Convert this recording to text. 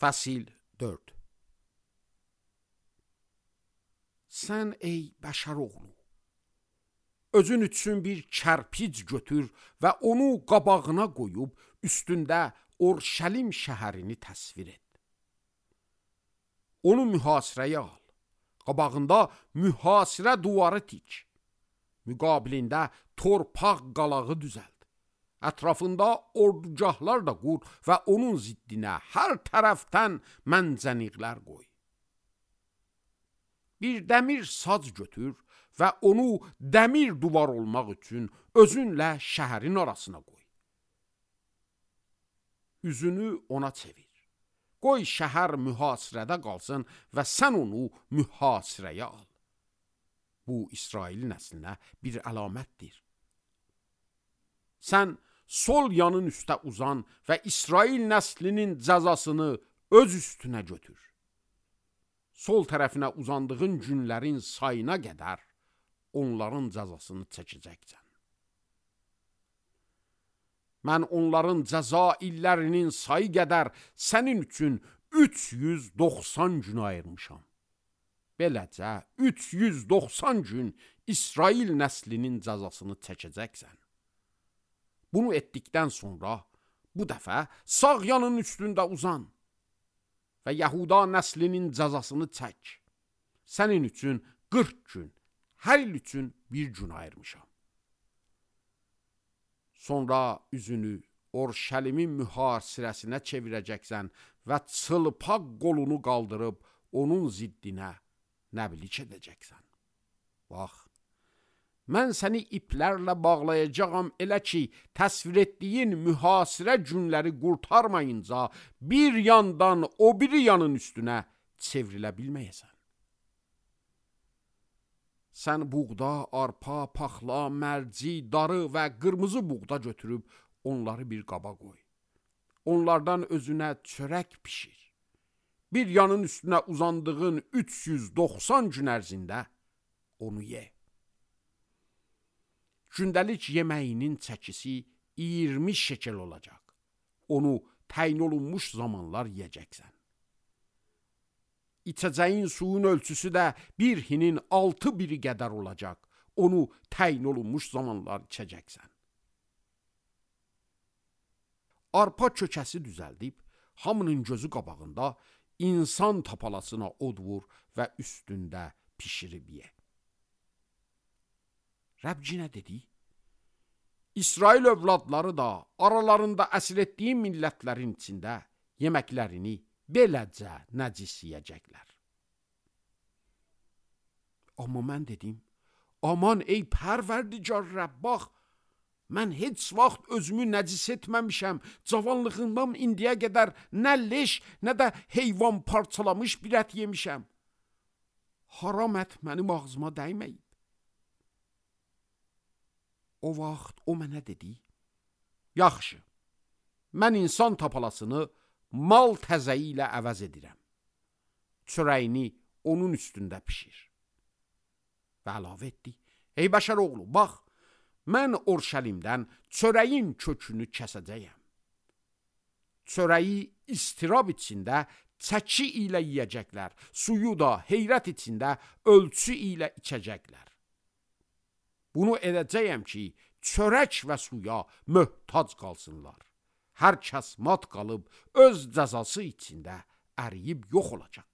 Fəsil 4. Sən ey bəşər oğlu, özün üçün bir kərpic götür və onu qabağına qoyub üstündə Orşəlim şəhərini təsvir et. Onu mühasirəyə al, qabağında mühasirə duvarı tik, müqabilində torpaq qalağı düzəld. Ətrafında ordugahlar da qur və onun ziddinə hər tərəfdən məncəniqlər qoy. Bir dəmir sac götür və onu dəmir duvar olmaq üçün özünlə şəhərin arasına qoy. Üzünü ona çevir. Qoy şəhər mühasirədə qalsın və sən onu mühasirəyə al. Bu, İsrail nəslinə bir əlamətdir. Sən sol yanın üstə uzan və İsrail nəslinin cəzasını öz üstünə götür. Sol tərəfinə uzandığın günlərin sayına qədər onların cəzasını çəkəcəksən. Mən onların cəza illərinin sayı qədər sənin üçün 390 gün ayırmışam. Beləcə 390 gün İsrail nəslinin cəzasını çəkəcəksən. Bunu etdikdən sonra bu dəfə sağ yanın üstündə uzan və Yahuda nəslinin cəzasını çək. Sənin üçün 40 gün, hər il üçün bir gün ayırmışam. Sonra üzünü Orşəlimin mühasirəsinə çevirəcəksən və çılpaq qolunu qaldırıb onun ziddinə nəblik edəcəksən. Bax, mən səni iplərlə bağlayacağam elə ki, təsvir etdiyin mühasirə günləri qurtarmayınca bir yandan o biri yanın üstünə çevrilə bilməyəsən. Sən buğda, arpa, paxla, mərci, darı və qırmızı buğda götürüb onları bir qaba qoy. Onlardan özünə çörək pişir. Bir yanın üstünə uzandığın 390 gün ərzində onu ye. Gündəlik yeməyinin çəkisi 20 şekel olacaq. Onu təyin olunmuş zamanlar yeyəcəksən. İçəcəyin suyun ölçüsü də bir hinin 6 biri qədər olacaq. Onu təyin olunmuş zamanlar içəcəksən. Arpa kökəsi düzəldib, hamının gözü qabağında insan tapalasına od vur və üstündə pişirib ye. Rəbcinə dedi, İsrail övladları da aralarında əsir etdiyi millətlərin içində yeməklərini beləcə nəcis yiyəcəklər. Amma mən dedim, aman ey pərverdigar Rəbb, bax, mən heç vaxt özümü nəcis etməmişəm, cavanlığımdan indiyə qədər nə leş, nə də heyvan parçalamış bir ət yemişəm. Haram ət mənim ağzıma dəyməyib. O vaxt o mənə dedi, yaxşı, mən insan tapalasını mal təzəyi ilə əvəz edirəm. Çörəyini onun üstündə pişir. Və əlavə etdi, ey bəşər oğlu, bax, mən Orşəlimdən çörəyin kökünü kəsəcəyəm. Çörəyi istirab içində çəki ilə yiyəcəklər, suyu da heyrət içində ölçü ilə içəcəklər. Bunu edəcəyəm ki, çörək və suya möhtac qalsınlar. Hər kəs mat qalıb öz cəzası içində əriyib yox olacaq.